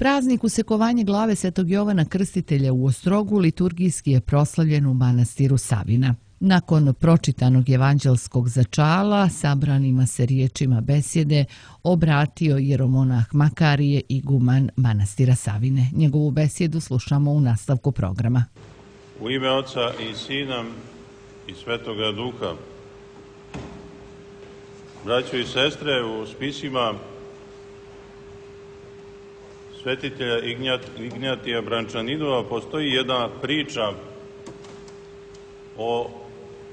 Praznik usekovanja glave Svetog Jovana Krstitelja u Ostrogu liturgijski je proslavljen u manastiru Savina. Nakon pročitanog evanđelskog začala, sabranima se riječima besjede obratio jeromonah Makarije, iguman manastira Savine. Njegovu besjedu slušamo u nastavku programa. U ime Oca i Sina i Svetoga Duha. Braćo i sestre, u spisima svetitelja Ignjatija Brančaninova postoji jedna priča o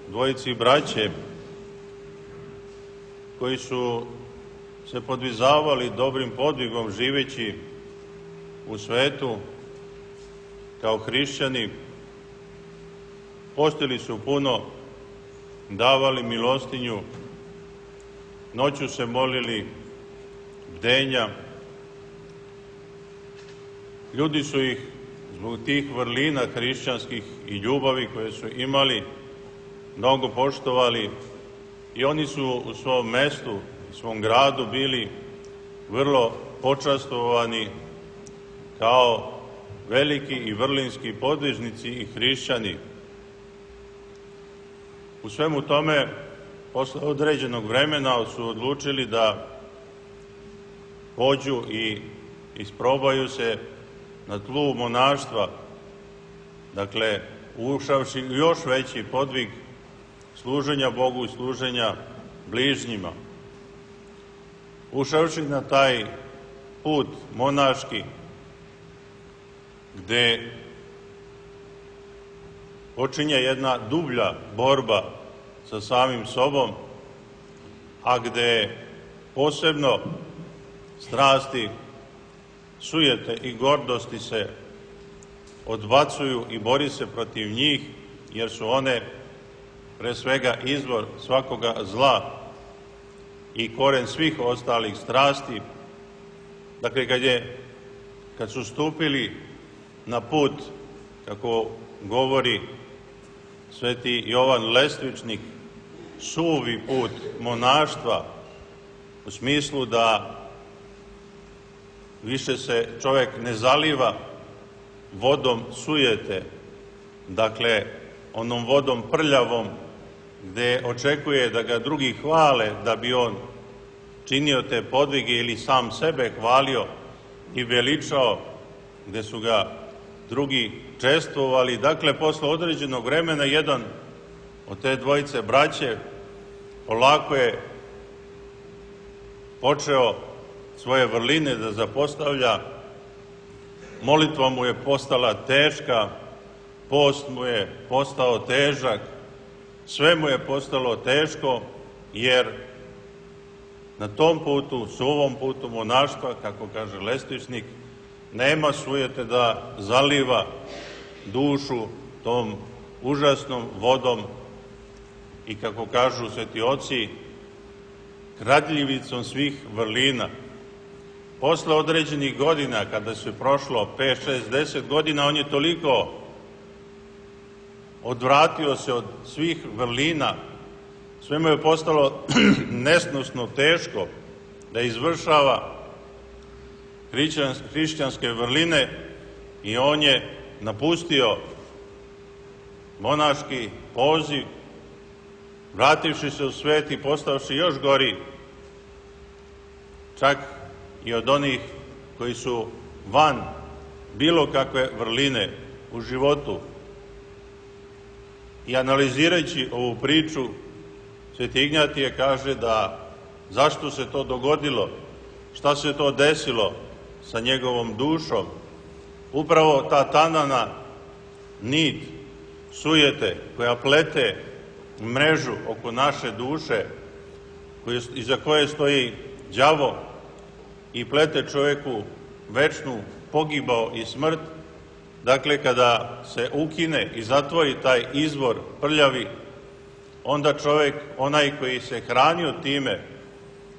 dvojici braće koji su se podvizavali dobrim podvigom živeći u svetu kao hrišćani. Postili su puno, davali milostinju, noću se molili, bdenja. Ljudi su ih zbog tih vrlina hrišćanskih i ljubavi koje su imali mnogo poštovali i oni su u svom mestu, u svom gradu bili vrlo počastovani kao veliki i vrlinski podvižnici i hrišćani. U svemu tome, posle određenog vremena su odlučili da pođu i isprobaju se na tlu monaštva, dakle, ušavši još veći podvig služenja Bogu i služenja bližnjima. Ušavši na taj put monaški, gde počinje jedna dublja borba sa samim sobom, a gde posebno strasti, sujete i gordosti se odbacuju i bori se protiv njih, jer su one pre svega izvor svakoga zla i koren svih ostalih strasti. Dakle, kad su stupili na put, kako govori sveti Jovan Lestvičnik, suvi put monaštva, u smislu da više se čovek ne zaliva vodom sujete, dakle, onom vodom prljavom, gde očekuje da ga drugi hvale da bi on činio te podvige ili sam sebe hvalio i veličao, gde su ga drugi čestvovali. Dakle, posle određenog vremena jedan od te dvojice braće polako je počeo svoje vrline da zapostavlja, molitva mu je postala teška, post mu je postao težak, sve mu je postalo teško, jer na tom putu, suvom putu monaštva, kako kaže Lestvičnik, nema sujete da zaliva dušu tom užasnom vodom i, kako kažu sveti oci, kradljivicom svih vrlina. Posle određenih godina, kada se prošlo 5, 6, 10 godina, on je toliko odvratio se od svih vrlina, sve mu je postalo nesnosno teško da izvršava hrišćanske vrline i on je napustio monaški poziv, vrativši se u svet i postavši još gori, čak i od onih koji su van bilo kakve vrline u životu. I analizirajući ovu priču, sveti Ignjatije kaže da zašto se to dogodilo, šta se to desilo sa njegovom dušom. Upravo ta tanana nit sujete koja plete mrežu oko naše duše, iza koje stoji đavo i plete čoveku večnu pogibao i smrt. Dakle, kada se ukine i zatvori taj izvor prljavi, onda čovek, onaj koji se hranio time,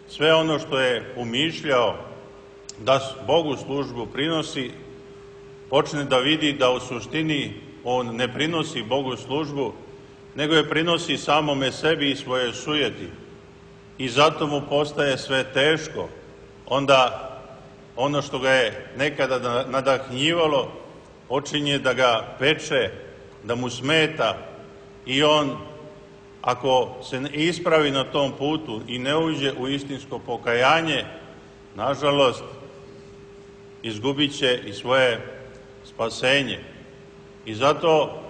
sve ono što je umišljao da Bogu službu prinosi, počne da vidi da u suštini on ne prinosi Bogu službu, nego je prinosi samome sebi i svoje sujeti. I zato mu postaje sve teško. Onda ono što ga je nekada nadahnjivalo, počinje da ga peče, da mu smeta i on, ako se ne ispravi na tom putu i ne uđe u istinsko pokajanje, nažalost, izgubit će i svoje spasenje. I zato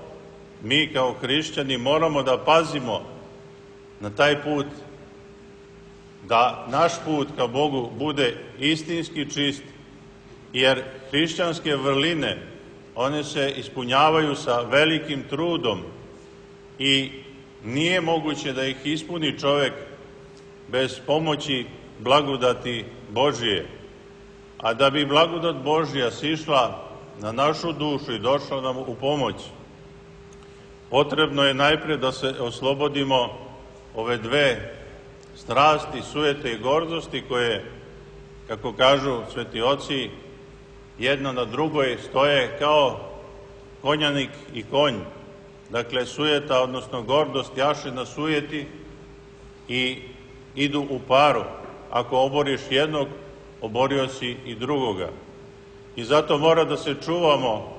mi kao hrišćani moramo da pazimo na taj put, da naš put ka Bogu bude istinski čist, jer hrišćanske vrline, one se ispunjavaju sa velikim trudom i nije moguće da ih ispuni čovek bez pomoći blagodati Božije. A da bi blagodat Božja sišla na našu dušu i došla nam u pomoć, potrebno je najpre da se oslobodimo ove dve strasti, sujete i gordosti koje, kako kažu sveti oci, jedna na drugoj stoje kao konjanik i konj. Dakle, sujeta, odnosno gordost, jaše na sujeti i idu u paru. Ako oboriš jednog, oborio si i drugoga. I zato mora da se čuvamo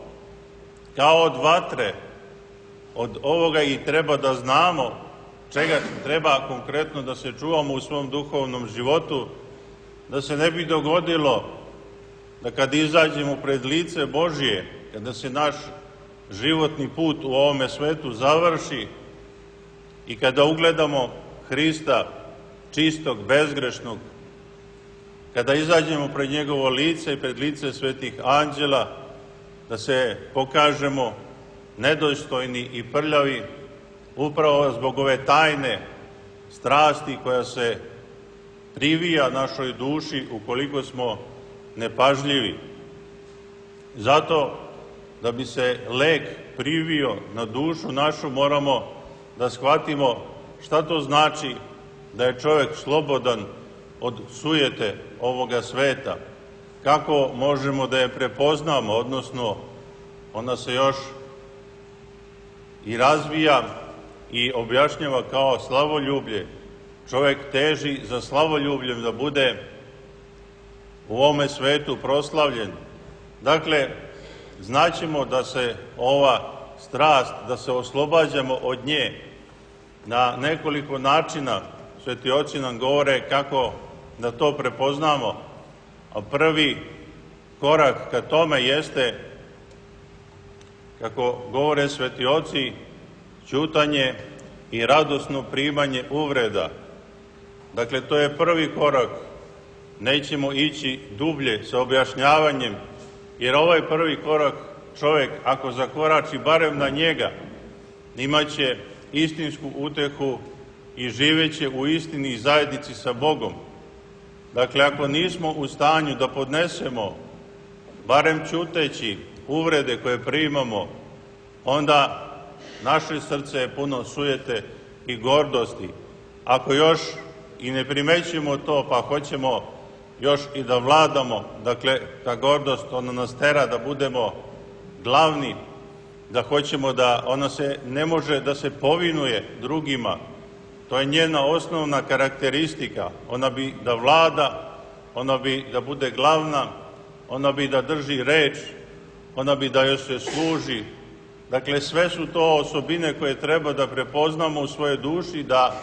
kao od vatre, od ovoga i treba da znamo čega treba konkretno da se čuvamo u svom duhovnom životu, da se ne bi dogodilo da kad izađemo pred lice Božije, kada se naš životni put u ovome svetu završi i kada ugledamo Hrista čistog, bezgrešnog, kada izađemo pred njegovo lice i pred lice svetih anđela, da se pokažemo nedostojni i prljavi upravo zbog ove tajne strasti koja se privija našoj duši ukoliko smo nepažljivi. Zato, da bi se lek privio na dušu našu, moramo da shvatimo šta to znači da je čovjek slobodan od sujete ovoga sveta. Kako možemo da je prepoznamo, odnosno ona se još i razvija i objašnjava kao slavoljublje. Čovjek teži za slavoljubljem da bude u ovome svetu proslavljen. Dakle, znaćemo da se ova strast, da se oslobađamo od nje na nekoliko načina. Sveti oci nam govore kako da to prepoznamo, a prvi korak ka tome jeste, kako govore sveti oci, ćutanje i radosno primanje uvreda. Dakle, to je prvi korak. Nećemo ići dublje sa objašnjavanjem, jer ovaj prvi korak čovjek, ako zakorači barem na njega, imaće istinsku utehu i živeće u istini i zajednici sa Bogom. Dakle, ako nismo u stanju da podnesemo, barem ćuteći, uvrede koje primamo, onda naše srce je puno sujete i gordosti. Ako još i ne primećujemo to, pa hoćemo još i da vladamo, dakle, ta gordost, ona nas tera da budemo glavni, da hoćemo da ona se ne može da se povinuje drugima. To je njena osnovna karakteristika. Ona bi da vlada, ona bi da bude glavna, ona bi da drži reč, ona bi da joj se služi. Dakle, sve su to osobine koje treba da prepoznamo u svojoj duši, da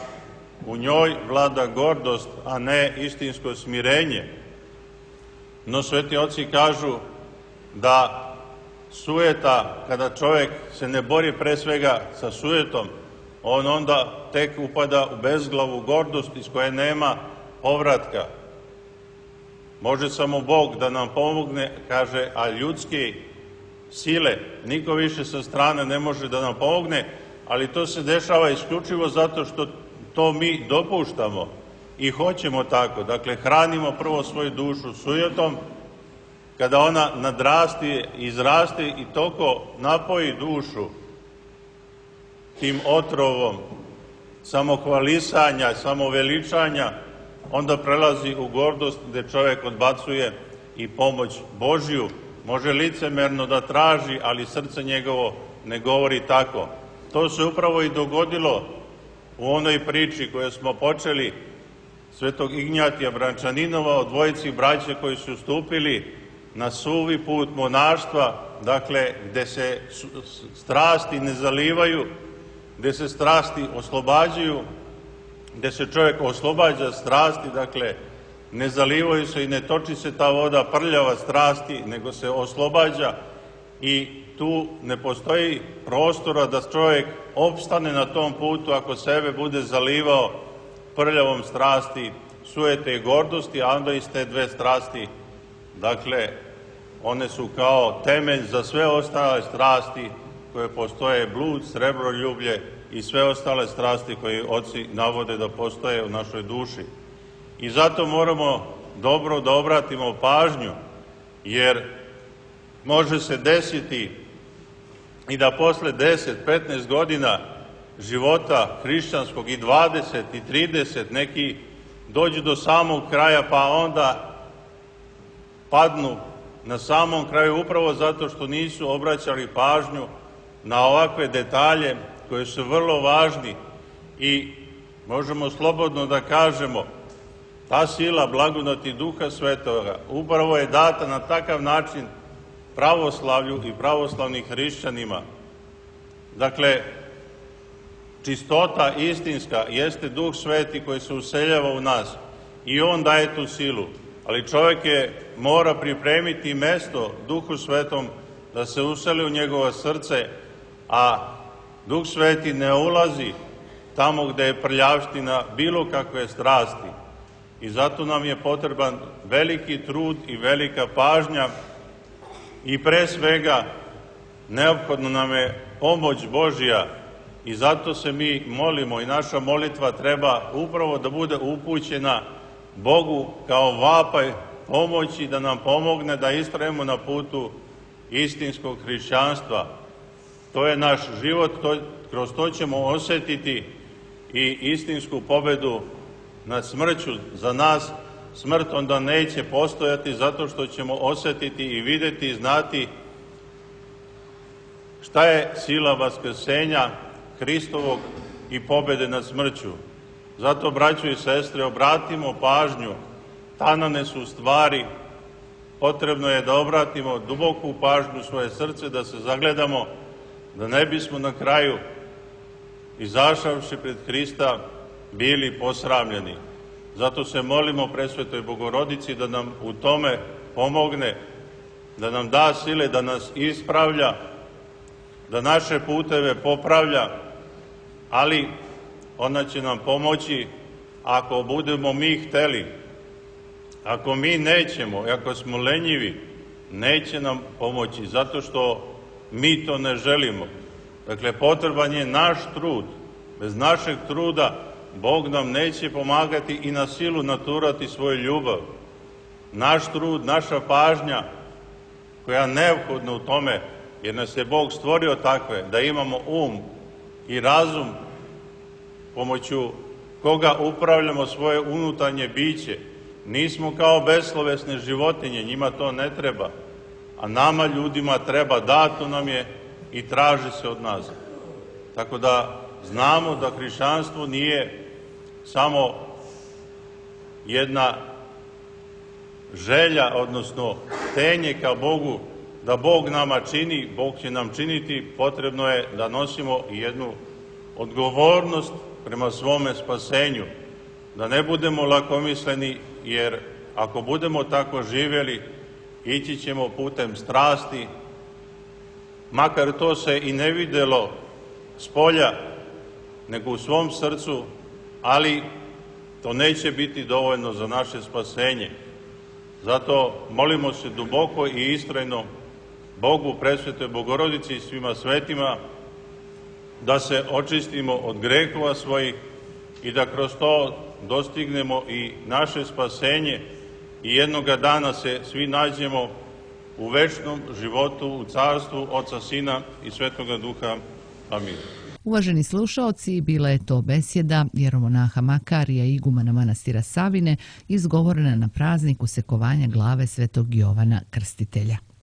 u njoj vlada gordost, a ne istinsko smirenje. No, sveti oci kažu da sujeta, kada čovjek se ne bori pre svega sa sujetom, on onda tek upada u bezglavu gordost iz koje nema povratka. Može samo Bog da nam pomogne, kaže, a ljudske sile, niko više sa strane ne može da nam pomogne, ali to se dešava isključivo zato što to mi dopuštamo i hoćemo tako. Dakle, hranimo prvo svoju dušu sujetom, kada ona nadrasti, izraste i toko napoji dušu tim otrovom samohvalisanja, samoveličanja, onda prelazi u gordost gde čovjek odbacuje i pomoć Božju. Može licemerno da traži, ali srce njegovo ne govori tako. To se upravo i dogodilo u onoj priči koju smo počeli, svetog Ignjatija Brančaninova, o dvojici braće koji su stupili na suvi put monaštva, dakle, gde se strasti ne zalivaju, gde se strasti oslobađaju, gde se čovjek oslobađa strasti, dakle, ne zalivaju se i ne toči se ta voda prljava strasti, nego se oslobađa i tu ne postoji prostora da čovjek opstane na tom putu ako sebe bude zalivao prljavom strasti, sujete i gordosti, a onda iz te dve strasti, dakle, one su kao temelj za sve ostale strasti koje postoje, blud, srebroljublje i sve ostale strasti koje oci navode da postoje u našoj duši. I zato moramo dobro da obratimo pažnju, jer može se desiti i da posle 10-15 godina života hrišćanskog i 20 i 30 neki dođu do samog kraja pa onda padnu na samom kraju upravo zato što nisu obraćali pažnju na ovakve detalje koje su vrlo važni i možemo slobodno da kažemo ta sila blagodati Duha Svetoga upravo je data na takav način pravoslavlju i pravoslavnim hrišćanima. Dakle, čistota istinska jeste Duh Sveti koji se useljava u nas i On daje tu silu, ali čovjek mora pripremiti mesto Duhu Svetom da se useli u njegovo srce, a Duh Sveti ne ulazi tamo gde je prljavština bilo kakve strasti. I zato nam je potreban veliki trud i velika pažnja i pre svega neophodno nam je pomoć Božja i zato se mi molimo i naša molitva treba upravo da bude upućena Bogu kao vapaj pomoći da nam pomogne da istrajemo na putu istinskog hrišćanstva. To je naš život, kroz to ćemo osetiti i istinsku pobedu nad smrću. Za nas smrt onda neće postojati zato što ćemo osetiti i videti i znati šta je sila vaskrsenja Hristovog i pobede nad smrću. Zato, braćo i sestre, obratimo pažnju, tanane su stvari, potrebno je da obratimo duboku pažnju u svoje srce, da se zagledamo, da ne bismo na kraju, izašavši pred Hrista, bili posramljeni. Zato se molimo Presvetoj Bogorodici da nam u tome pomogne, da nam da sile, da nas ispravlja, da naše puteve popravlja, ali ona će nam pomoći ako budemo mi hteli. Ako mi nećemo, ako smo lenjivi, neće nam pomoći, zato što mi to ne želimo. Dakle, potreban je naš trud. Bez našeg truda Bog nam neće pomagati i na silu naturati svoju ljubav. Naš trud, naša pažnja, koja je neophodna u tome, jer nas je Bog stvorio takve, da imamo um i razum pomoću koga upravljamo svoje unutarnje biće. Nismo kao beslovesne životinje, njima to ne treba, a nama ljudima treba, dato nam je i traži se od nas. Tako da znamo da hrišćanstvo nije samo jedna želja, odnosno tenje ka Bogu, da Bog nama čini, Bog će nam činiti, potrebno je da nosimo jednu odgovornost prema svome spasenju, da ne budemo lakomisleni, jer ako budemo tako živjeli, ići ćemo putem strasti, makar to se i ne videlo s polja, nego u svom srcu, ali to neće biti dovoljno za naše spasenje. Zato molimo se duboko i istrajno Bogu, Presvetoj Bogorodici i svima svetima, da se očistimo od grehova svojih i da kroz to dostignemo i naše spasenje i jednoga dana se svi nađemo u večnom životu, u carstvu Oca, Sina i Svetoga Duha. Amin. Uvaženi slušaoci, bila je to besjeda jeromonaha Makarija, igumana manastira Savine, izgovorena na praznik usekovanja glave Svetog Jovana Krstitelja.